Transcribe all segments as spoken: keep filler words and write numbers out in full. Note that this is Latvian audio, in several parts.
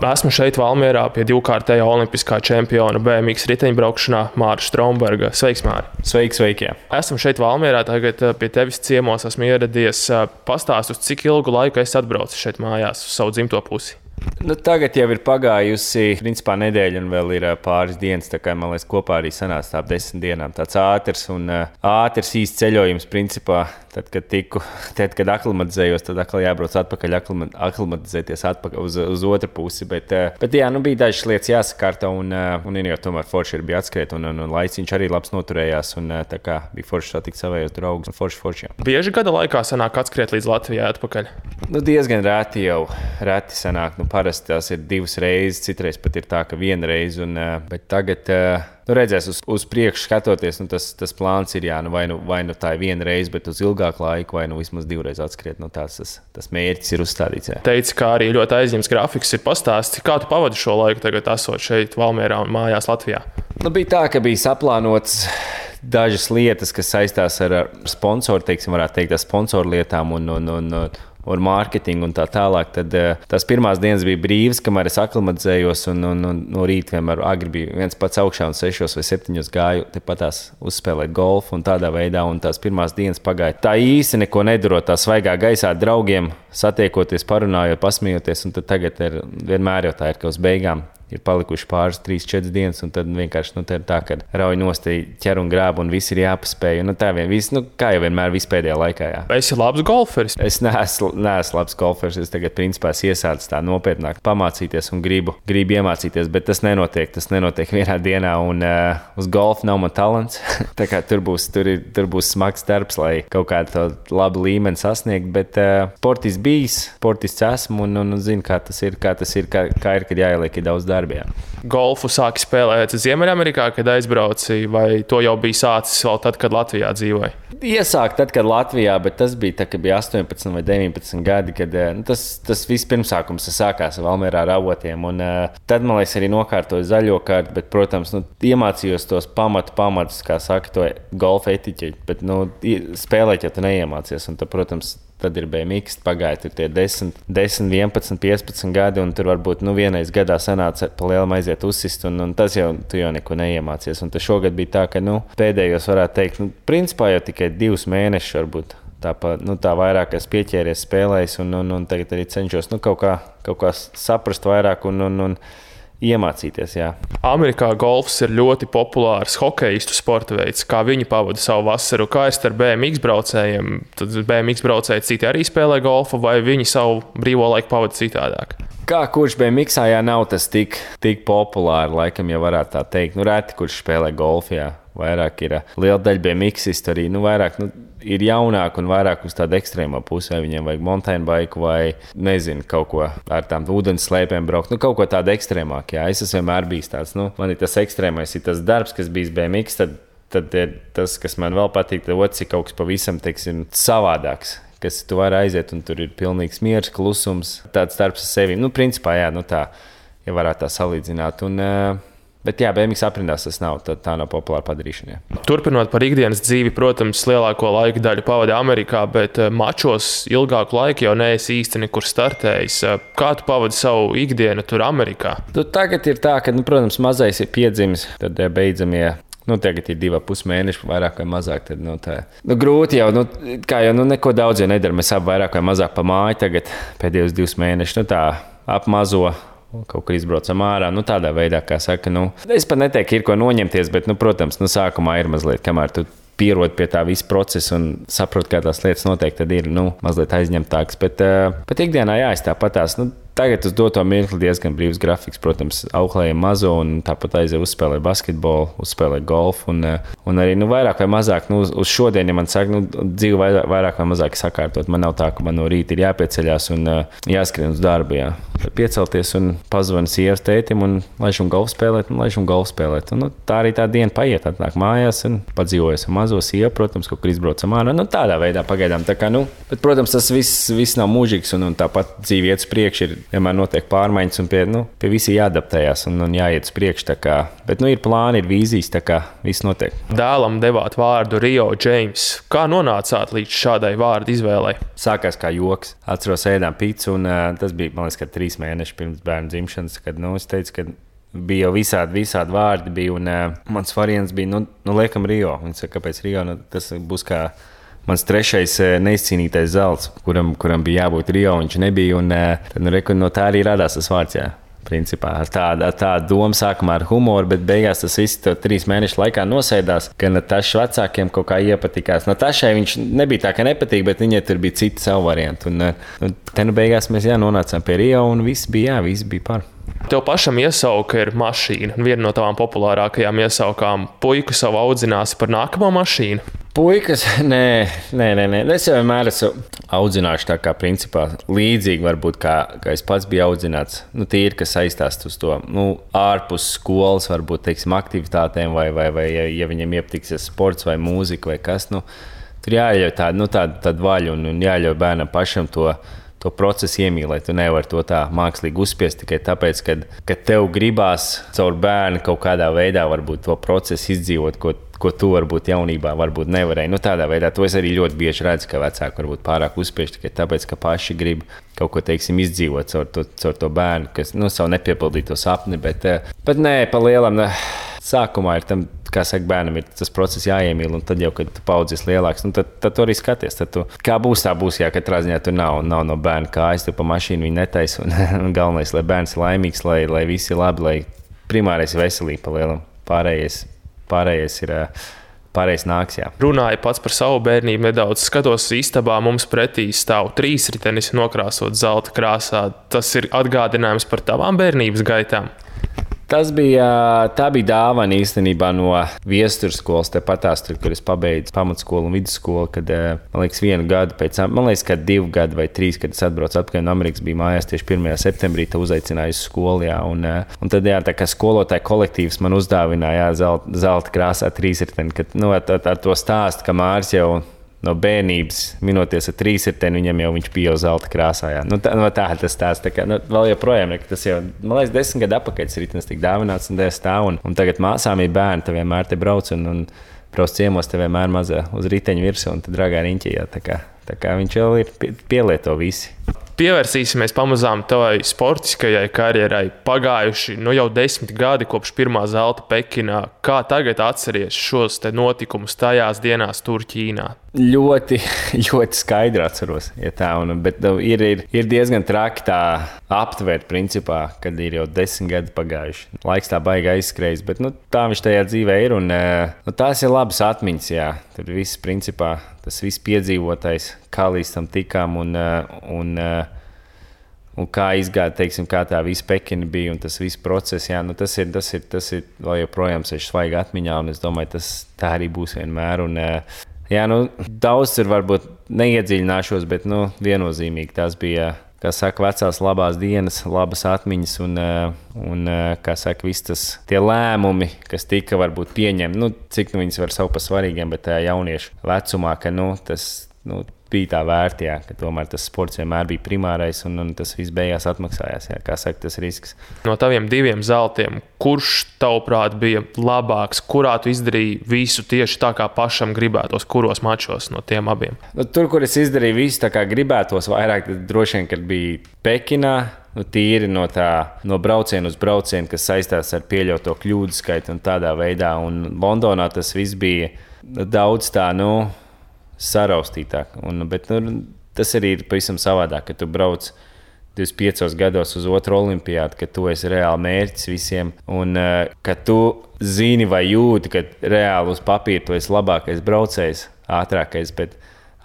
Esmu šeit Valmierā pie divkārtējā olimpiskā čempiona B M X riteņbraukšanā Māra Stromberga. Sveiks, Māri! Sveiki, sveiki! Jā. Esmu šeit Valmierā, tagad pie tevis ciemos esmu ieradies. Pastāst, uz cik ilgu laiku esi atbraucis šeit mājās uz savu dzimto pusi? Nu, tagad jau ir pagājusi principā nedēļa un vēl ir pāris dienas, tā kā man liekas kopā arī sanāca ap desmit dienām. Tāds ātrs un ātrs īsts ceļojums principā. Tad, kad tiku, tad, kad aklimatizējos, tad atkal jābrauc atpakaļ, aklimatizēties atpakaļ uz, uz otru pusi. Bet, bet jā, nu bija dažas lietas jāsakārta un, un jau tomēr forši ir bija atskriet un, un, un laiciņš arī labs noturējās un tā kā bija forši satikt savējos draugus un forši, forši, jā. Bieži gada laikā sanāk atskriet līdz Latvijai atpakaļ? Nu, diezgan reti jau, reti sanāk. Nu, parasti tās ir divas reizes, citreiz pat ir tā, ka viena reize, un, bet tagad, nu, redzēs uz, uz priekšu skatoties, nu, tas, tas plāns ir, jā, nu, vai, nu, vai nu tā ir viena reize, bet uz ilgāku laiku, vai nu vismaz divreiz atskriet, nu, tās, tas, tas mērķis ir uzstādīts, jā. Teici, kā arī ļoti aizņemts grafiks ir pastāstīts, kā tu pavadi šo laiku tagad esot šeit Valmierā un mājās Latvijā? Nu, bija tā, ka bija saplānots dažas lietas, kas saistās ar sponsoru, teiksim, varētu teikt, ar sponsoru lietām un, un, un, un ar mārketingu un tā tālāk, tad tās pirmās dienas bija brīvas, kamēr es aklimatizējos un, un, un no rīta vienmēr agri bija viens pats augšā un sešos vai septiņos gāju tepat tās uzspēlēt golfu un tādā veidā, un tās pirmās dienas pagāja tā īsti neko nedarot, tā svaigā gaisā draugiem satiekoties, parunājot, pasmiejoties, un tad tagad ir, vienmēr jau tā ir, ka uz beigām ir palikuši pāris, trīs, četras dienas, un tad vienkārši nu, tā, ka rauj nosti ķer un grāb, un viss ir jāpaspēj. Nu, tā vien, viss, nu, kā jau vienmēr, viss pēdējā laikā. Jā. Vai esi labs golferis? Es neesmu, neesmu labs golferis. Es tagad, principā, iesācu tā nopietnāk pamācīties un gribu, gribu iemācīties, bet tas nenotiek. Tas nenotiek vienā dienā, un uh, uz golfu nav man talants. Tā kā tur būs, tur, ir, tur būs smags darbs, lai kaut kādu labu līmeni sasniegt, bet uh, sportists bijis, sportists esmu, un, un, un zinu, kā tas ir, kā tas ir, kā, kā ir, kad jāieliek ir daudz darba. Jā. Golfu sāki spēlēt Ziemeļamerikā, kad aizbrauci, vai to jau bija sācis vēl tad, kad Latvijā dzīvoji? Iesākt tad, kad Latvijā, bet tas bija tā, kad bija astoņpadsmit vai deviņpadsmit gadi, kad nu, tas, tas viss pirmsākums sākās Valmierā ar avotiem. Un, uh, tad, man liekas, arī nokārtoju zaļo kārtu, bet, protams, nu, iemācījos tos pamatu pamatus, kā saka, to golfa etiķeķi, bet nu, spēlēt jau tu neiemācies. Un, tad, protams, tad ir B M X, pagāja tur tie desmit, vienpadsmit, piecpadsmit gadi, un tur varbūt nu, vienreiz gadā sanāca pa lielam aiziet uzsist, un, un tas jau, tu jau neko neiemācies. Un tas šogad bija tā, ka nu, pēdējos varētu teikt, nu, principā jau tikai divus mēnešus varbūt. Tā, nu, tā vairāk es pieķēries spēlējis, un, un, un tagad arī cenšos nu, kaut, kā, kaut kā saprast vairāk un, un, un iemācīties, jā. Amerikā golfs ir ļoti populārs hokeistu sporta veids. Kā viņi pavada savu vasaru? Kā ir ar B M X braucējiem? Tad B M X braucēji citi arī spēlē golfu, vai viņi savu brīvo laiku pavada citādāk? Kā kurš B M X-ā jā, nav tas tik, tik populāri, laikam jau varētu tā teikt. Nu, reti, kurš spēlē golfu, jā. Vairāk ir liela daļa B M X-istu arī, nu, vairāk, nu, ir jaunāk un vairāk uz tādu ekstrēmo pusi, vai viņiem vajag mountain bike vai, nezinu, kaut ko ar tām ūdens slēpēm braukt, nu, kaut ko tādu ekstrēmāk, jā. Es esmu vienmēr bijis tāds, nu, man ir tas ekstrēmais, ir tas darbs, kas bijis B M X, tad, tad ir tas, kas man vēl patīk, tad otrs ir kaut kas pavisam, teiksim, savādāks. Kas tu vari aiziet, un tur ir pilnīgs miers, klusums, tāds darbs ar sevi. Nu, principā, jā, nu tā, ja varētu tā salīdzināt. Un, bet jā, B M X aprindās tas nav, tā, tā nav populāra padarīšana. Jā. Turpinot par ikdienas dzīvi, protams, lielāko laika daļu pavadi Amerikā, bet mačos ilgāku laiku jau neesi īsti nekur startējis. Kā tu pavadi savu ikdienu tur Amerikā? Tu tagad ir tā, ka, nu, protams, mazais ir piedzimis, tad beidzamie. Nu, tagad ir divi pus mēneši, vairāk vai mazāk. Tad, nu, tā, nu, grūti jau, nu, kā jau nu, neko daudz jau nedara. Mēs abi vairāk vai mazāk pa māju tagad pēdējos divus mēnešus. Nu, tā ap mazo kaut kā izbraucam ārā. Nu, tādā veidā, kā saka, nu, es pat neteiktu, ir ko noņemties, bet, nu, protams, nu, sākumā ir mazliet, kamēr tu pierod pie tā visa procesa un saprot, kā tās lietas notiek, tad ir, nu, mazliet aizņemtāks. Bet, bet ikdienā jā, es tāpatās, nu, tagad uz doto mirkli diezgan brīvs grafiks, protams, auklējam mazo un tāpat aiziet uzspēlēt basketbolu, uzspēlēt golfu un, un arī, nu, vairāk vai mazāk, nu, uz šodien, ja man saka, nu, dzīve vairāk, vairāk vai mazāk sakārtot, man nav tā, ka man no rīta ir jāpieceļās un jāskrien uz darbu, jā. Piecelties un pazvanu sievas tētim un laišam golfu spēlēt un laišam golfu spēlēt. Un, nu, tā arī tā diena paiet, atnāk mājās un padzīvojas ar mazo sievu, protams, kaut kur izbraucam ārā. Nu, tādā veidā pagaidām. Tā kā, nu, bet, protams, tas viss, viss nav mūžīgs un, un tāpat dzīve iet uz priekšu ir vienmēr notiek pārmaiņas un pie, nu, pie visi jāadaptējās un, un jāiet uz priekšu. Tā kā, bet nu, ir plāni, ir vīzijas, tā kā viss notiek. Dēlam devāt vārdu Rio James. Kā nonācāt līdz šādai vārdu izvēlei? Sākās kā joks. Atceros, ēdām pīcu, un uh, tas bija, man liekas, trīs mēneši pirms bērnu dzimšanas, kad nu, es teicu, ka bija jau visādi, visādi vārdi, bija, un uh, mans variants bija, nu, nu liekam, Rio. Viņš saka, kāpēc Rio? Nu, tas būs kā mans trešais uh, neizcīnītais zelts, kuram, kuram bija jābūt Rio, viņš nebija, un uh, tad, nu, reku, no tā arī radās tas vārds, jā. Principā ar tādu, ar tādu domu sākumā ar humoru, bet beigās tas viss trīs mēnešu laikā nosēdās, ka Natašas vecākiem kaut kā iepatikās. Natašai viņš nebija tā, ka nepatīk, bet viņai tur bija citi savu variantu. Un, un te nu beigās mēs jā, nonācām pie Rio, un viss bija, jā, viss bija par. Tev pašam iesauka ir mašīna, un viena no tavām populārākajām iesaukām - puiku savu audzināsi par nākamo mašīnu. Puikas, nē, nē, nē, nē. Es jau vienmēr esmu audzināts tā kā principā līdzīgi, varbūt kā, kā es pats biju audzināts. Nu, tīri, kas saistās uz to nu, ārpus skolas, varbūt teiksim, aktivitātēm, vai, vai, vai ja, ja viņam iepatiksies sports vai mūzika vai kas. Nu, tur jāļauj tādu, nu, tādu, tādu vaļu un, un jāļauj bērnam pašam to. To procesu iemīlēt, tu nevari to tā mākslīgi uzspiest tikai tāpēc, ka, ka tev gribās caur bērnu kaut kādā veidā varbūt to procesu izdzīvot, ko, ko tu varbūt jaunībā varbūt nevarēji. Nu, tādā veidā to es arī ļoti bieži redzu, ka vecāki varbūt pārāk uzspiež tikai tāpēc, ka paši grib kaut ko, teiksim, izdzīvot caur to, caur to bērnu, kas, nu, savu nepiepildīto sapni, bet, bet nē, pa lielam, ne. Sākumā ir tam, kā saka, bērnam ir tas process jāiemīl, un tad jau, kad tu paudzies lielāks, nu, tad, tad tu arī skaties. Tad tu, kā būs, tā būs, jā, katrā ziņā tur nav, nav no bērna kājas, tu pa mašīnu viņu netaisi, un, un galvenais, lai bērns ir laimīgs, lai, lai viss ir labi, lai primārais ir veselība pa lielam. Pārējais, pārējais ir... Pārējais nāks, jā. Runāju pats par savu bērnību nedaudz. Skatos istabā, mums pretī stāv trīsritenis nokrāsot zelta krāsā. Tas ir atgādinājums par tavām bērnības gaitām. Tas bija, tā bija dāvana īstenībā no viesturskolas, tepatās, tur, kur es pabeidzu pamatskolu un vidusskolu, kad, man liekas, vienu gadu pēc tam, man liekas, ka divu gadu vai trīs, kad es atbraucu atpakaļ no Amerikas, bija mājās tieši pirmajā septembrī, te uzaicināju uz skolu, jā, un, un tad, jā, tā kā skolotāja kolektīvs man uzdāvināja, jā, zelta, zelta krāsā trīsriteni, kad, nu, ar, ar to stāstu, ka Māris jau no bērnības, minoties ar trīsriteni, viņam jau viņš bija jau zelta krāsā. Jā. Nu, tā, no tā tas tās. Tā kā, nu, vēl joprojām, ne, tas jau, man liekas, desmit gadu atpakaļ tas ritenis tika dāvināts un dēļ stāv. Un, un tagad māsām ir bērni, te vienmēr te brauc un, un brauc ciemos, te vienmēr mazā uz riteņu virsmu un te dragā riņķī. Jā, tā, kā, tā kā viņš jau ir pie, pielieto visi. Pievērsīsimies pamazām tavai sportiskajai karjerai. Pagājuši nu jau desmit gadi kopš pirmā zelta Pekinā. Kā tagad atceries šos te notikumus tajās dienās tur Ķīnā? Ļoti, ļoti skaidri atceros. Ja tā, un, bet ir, ir, ir diezgan traki tā aptvērt, principā, kad ir jau desmit gadi pagājuši. Laiks tā baigi aizskrējis, bet nu, tā viņš tajā dzīvē ir. Un, nu, tās ir labas atmiņas, jā. Tur viss, principā, tas viss piedzīvotais, kā līdz tam tikām un, un, un kā izgāja, teiksim, kā tā visa Pekina bija un tas viss process. Jā, nu, tas, ir, tas, ir, tas ir vēl joprojām seši svaigi atmiņā, un es domāju, tas tā arī būs vienmēr. Un, jā, nu, daudz tur varbūt neiedziļināšos, bet nu, viennozīmīgi tās bija, kā saka, vecās labās dienas, labas atmiņas un, un kā saka, viss tas tie lēmumi, kas tika varbūt pieņemti, nu, cik nu viņas var savu par svarīgiem, bet tajā jauniešu vecumā, ka nu, tas nu, bija tā vērti, jā, ka tomēr tas sports vienmēr bija primārais un, un tas viss beigās atmaksājās, jā, kā saka, tas risks. No taviem diviem zeltiem, kurš tavuprāt bija labāks, kurā tu izdarīji visu tieši tā, kā pašam gribētos, kuros mačos no tiem abiem? Nu, tur, kur es izdarīju visu tā, kā gribētos vairāk, tad droši vien, kad bija Pekinā, nu, tīri no tā, no brauciena uz braucienu, kas saistās ar pieļauto kļūdu skaitu un tādā veidā, un Londonā tas viss bija daudz tā, nu, saraustītāk. Un, bet nu, tas arī ir pavisam savādāk, ka tu brauc divdesmit piecos gados uz otru olimpiādu, ka tu esi reāli mērķis visiem un uh, ka tu zini vai jūti, ka reāli uz papīra tu esi labākais braucējs, ātrākais, bet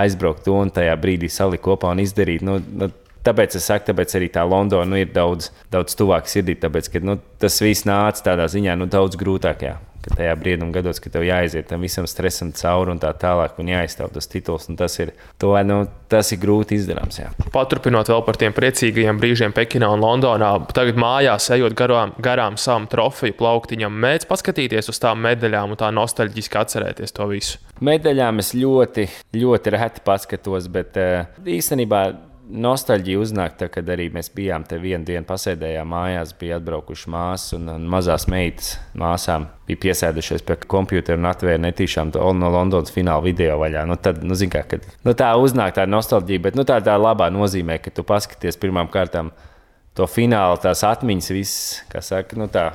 aizbraukt to un tajā brīdī salikt kopā un izdarīt. Nu, nu, tāpēc es saku, tāpēc arī tā Londona nu, ir daudz, daudz tuvāk sirdī, tāpēc, ka nu, tas viss nāca tādā ziņā nu, daudz grūtāk, jā. Ka tajā brīdum gados, ka tev jāaiziet tam visam stresam cauri un tā tālāk un jāizstāv tas tituls, un tas ir, to, nu, tas ir grūti izdarāms, jā. Paturpinot vēl par tiem priecīgajiem brīžiem Pekinā un Londonā, tagad mājās ejot garām, garām savam trofeju plauktiņam, mēdz paskatīties uz tām medaļām un tā nostalģiski atcerēties to visu? Medaļām es ļoti, ļoti reti paskatos, bet īstenībā nostalģija uznāk, tā, kad arī mēs bijām te vienu dienu pasēdējām mājās, bija atbraukuši māsas un, un mazās meitas māsām bija piesēdušies pie kompjutera un atvēra netīšām to no Londonas fināla video vaļā. Nu, tad, nu, zin kā, kad, nu, tā uznāk tā nostalģija, bet nu, tā tā labā nozīmē, ka tu paskaties pirmām kārtām to finālu, tās atmiņas viss, kā saka, nu tā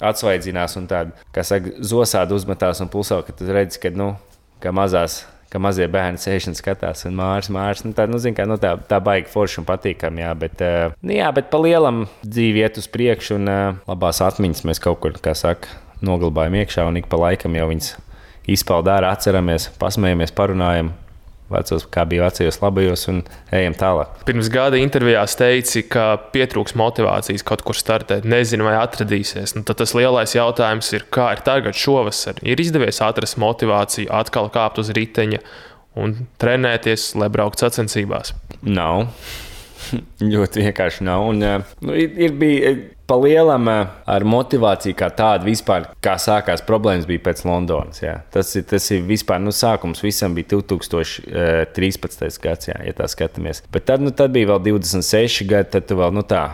atsvaidzinās un tāda, kā saka, zosādi uzmetās un pulsā, ka tu redzi, ka, nu, ka mazās ka mazie bērni sēž un skatās, un mārs, mārs, nu tā, nu, zin kā, nu tā, tā baigi forši un patīkami, jā, bet, uh, nu, jā, bet pa lielam dzīvi iet uz priekšu, un uh, labās atmiņas mēs kaut kur, kā saka, noglabājam iekšā, un ik pa laikam jau viņas izpauda ārā, atceramies, pasmējamies, parunājam, vecos, kā bija vecajos labajos, un ejam tālāk. Pirms gada intervijās teici, ka pietrūks motivācijas kaut kur startēt, nezinu, vai atradīsies. Nu, tad tas lielais jautājums ir, kā ir tagad šovasar? Ir izdevies atrast motivāciju, atkal kāpt uz riteņa un trenēties, lai brauktu sacensībās? Nav. Ļoti vienkārši nav. Un, nu, ir, ir bija pa lielam ar motivāciju kā tādu vispār, kā sākās problēmas bija pēc Londonas. Jā. Tas, ir, tas ir vispār, nu, sākums visam bija divi tūkstoši trīspadsmitais gads, jā, ja tā skatāmies. Bet tad, nu, tad bija vēl divdesmit seši gadi, tad tu vēl, nu tā,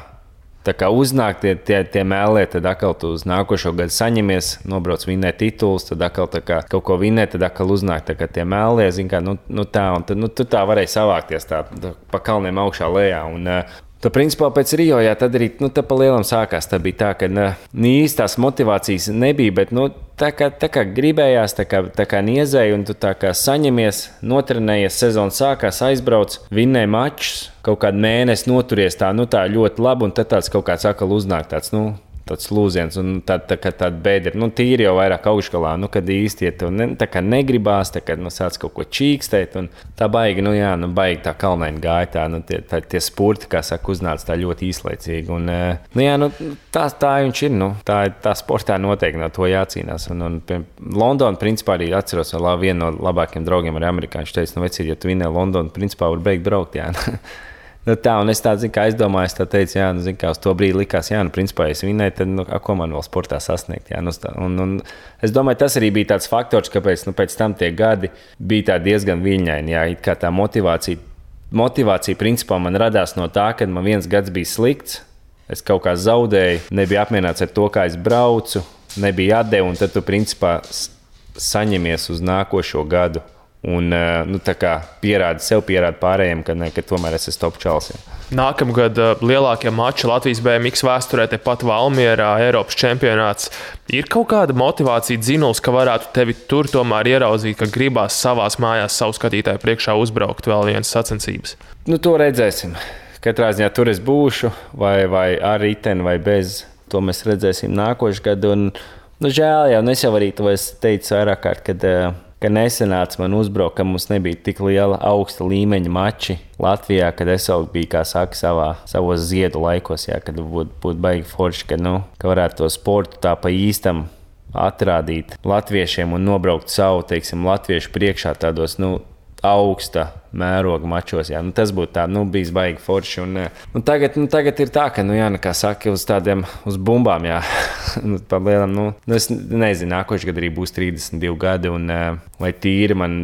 tā kā uznāk tie, tie, tie mēlē, tad atkal tu uz nākošo gadu saņemies, nobrauc vinnēt tituls, tad atkal tā kā kaut ko vinnēt, tad atkal uznāk tā kā tie mēlē, zin kā, nu, nu tā, un tad, nu, tu tā varēji savākties tā, tā pa kalniem augšā lejā, un tu principā pēc Rio, jā, tad arī, nu, tā pa lielam sākās, tā bija tā, ka, nu, īstās motivācijas nebija, bet, nu, tā kā, tā kā gribējās, tā kā, tā kā niezēja, un tu tā kā saņemies, notrenējies, sezona sākās, aizbrauc, vinnēja mačus, kaut kādu mēnesi noturies tā, nu, tā ļoti labi, un tad tāds kaut kāds atkal uznāk tāds, nu, tāds lūziens, un tā, tā kā tāda bēdra, nu, tīri jau vairāk augšgalā, nu, kad īsti, ja tev ne, tā kā negribās, tā kā, nu, sāc kaut ko čīkstēt, un tā baigi, nu, jā, nu, baigi tā kalnaini gāja, tā, nu, tie, tā, tie spurti, kā saka, uznāca tā ļoti īslaicīgi, un, nu, jā, nu, tā, tā viņš ir, nu, tā, tā sportā noteikti no to jācīnās, un, un pie Londona, principā, arī atceros, vēl vienu no labākiem draugiem ar amerikāņu, teica, nu, vecīt, ja tu vinnē Londonu, principā, var beigt braukt, jā. Nu, tā, un es tā, zin, kā aizdomājos, tā teicu, jā, nu, zin, kā uz to brīdi likās, jā, nu, principā, ja es vinnēju, tad, nu, ko man vēl sportā sasniegt, jā, nu, tā, un, un es domāju, tas arī bija tāds faktors, kāpēc, nu, pēc tam tie gadi bija tā diezgan viļņaini, jā, it kā tā motivācija, motivācija, principā, man radās no tā, kad man viens gads bija slikts, es kaut kā zaudēju, nebija apmierināts ar to, kā es braucu, nebija atdevu, un tad tu, principā, saņemies uz nākošo gadu. Un, nu, tā kā pierāda sev, pierāda pārējiem, ka, ne, ka tomēr es esmu top čals. Jā. Nākamgad lielākie mači Latvijas B M X vēsturē, tepat Valmierā, Eiropas čempionāts. Ir kaut kāda motivācija dzinuls, ka varētu tevi tur tomēr ieraudzīt, ka gribās savās mājās savu skatītāju priekšā uzbraukt vēl vienas sacensības? Nu, to redzēsim. Katrā ziņā tur es būšu, vai, vai ar riteni, vai bez. To mēs redzēsim nākošu gadu. Un, nu, žēl jau, es jau arī to teicu vairāk kārt, kad ka nesenāca man uzbraukt, ka mums nebija tik liela augsta līmeņa mači Latvijā, kad es jau biju, kā saka, savā, savos ziedu laikos, jā, kad būtu būt baigi forši, ka, nu, ka varētu to sportu tā pa īstam atrādīt latviešiem un nobraukt savu, teiksim, latviešu priekšā tādos, nu, augsta mēroga mačos, jā, nu, tas būtu tā, nu, bijis baigi forši, un, un tagad, nu, tagad ir tā, ka, nu, jā, nu, kā saka, uz tādiem, uz bumbām, jā, nu, pa lielam, nu, es nezinu, nākoši gadu arī būs trīsdesmit divi gadi, un vai tīri man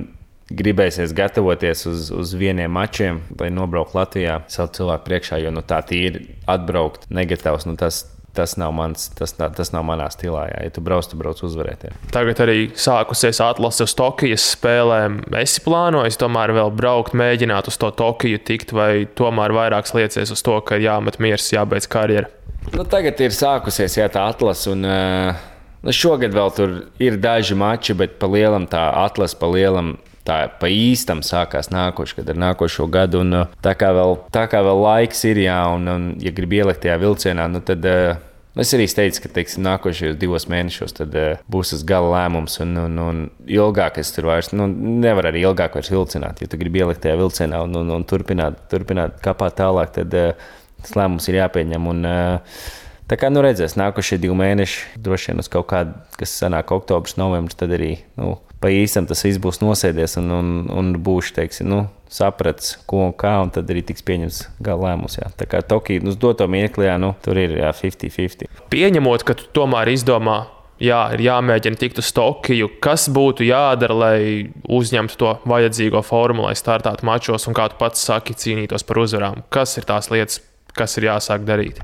gribēsies gatavoties uz, uz vieniem mačiem, lai nobraukt Latvijā savu cilvēku priekšā, jo, nu, tā tīri atbraukt negatavs, nu, tas Tas nav, mans, tas, tas nav manā stilā. Jā. Ja tu brauc, tu brauc uzvarēt. Jā. Tagad arī sākusies atlase uz Tokijas spēlēm. Esi plānojis tomēr vēl braukt, mēģināt uz to Tokiju tikt, vai tomēr vairāks liecies uz to, ka jāmet miers, jābeidz karjera? Nu, tagad ir sākusies jā, tā atlase, un uh, šogad vēl tur ir daži mači, bet pa lielam tā atlase pa lielam. Tā pa īstam sākās nākošu, kad ar nākošo gadu, un tā kā vēl, tā kā vēl laiks ir, jā, un, un ja grib ielikt tajā vilcienā, nu tad uh, es arī teicu, ka, teiksim, nākošajos divos mēnešos tad uh, būs tas gala lēmums, un, un, un ilgāk es tur vairs, nu, nevar arī ilgāk vairs vilcināt, ja tu gribi ielikt tajā vilcienā un, un, un turpināt, turpināt kāpāt tālāk, tad uh, tas lēmums ir jāpieņem, un uh, tā kā, nu, redzēs, nākošie divi mēneši, droši vien uz kaut kādu, kas sanāk oktobrs, novembris, tad arī, nu, pa īstam tas viss būs nosēdies un, un, un būšu, teiksim, nu, saprats, ko un kā, un tad arī tiks pieņems gala lēmums, jā. Tā kā Tokija, nu, uz doto mirkli, jā, nu, tur ir, jā, fifty fifty. Pieņemot, ka tu tomēr izdomā jā, ir jāmēģina tikt uz Tokiju. Kas būtu jādara, lai uzņemtu to vajadzīgo formu, lai startētu mačos un, kā tu pats saki, cīnītos par uzvarām? Kas ir tās lietas, kas ir jāsāk darīt?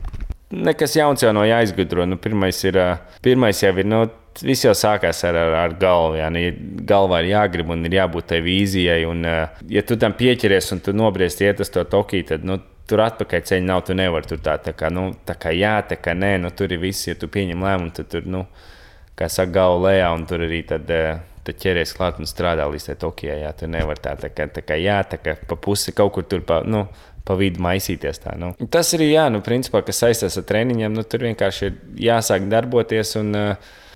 Nekas jauns jau no jāizgudro. Nu, pirmais, ir, pirmais jau ir, nu, viss jau sākās ar, ar, ar galvu. Jā. Nu, galvā ir jāgrib un ir jābūt tai vīzijai. Un, ja tu tam pieķeries un tu nobriesti iet uz to Tokiju, tad nu, tur atpakaļ ceļa nav, tu nevari tur tā, tā kā, nu, tā kā jā, tā kā nē, nu, tur ir viss, ja tu pieņem lēmumu, tad tur, nu, kā saka, galva lejā un tur arī tad, tad ķeries klāt un strādā līdz tai Tokijai, jā, tu nevar tā, tā kā, tā kā jā, tā kā pa pusi kaut kur tur pa, nu, pa vidu maisīties tā, nu. Tas arī, jā, nu, principā, kas saistās ar treniņiem, nu, tur vienkārši ir jāsāk darboties un,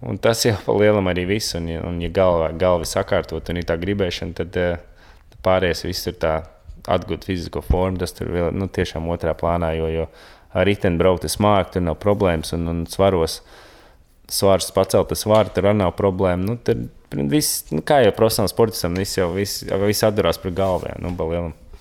un tas jau pa lielam arī viss, un, un ja galva, galva sakārtot un ir tā gribēšana, tad, tad pārējais viss ir tā atgūt fizisko formu, tas tur vēl, nu, tiešām otrā plānā, jo, jo ar riteni braukt es māku, tur nav problēmas, un, un svaros, svārus pacelt, tas svāri, tur arī nav problēma, nu, tad viss, nu, kā jau profesionāls sportistam, viss jau, viss, viss atdarās par galvu, jā, nu, pa lielam.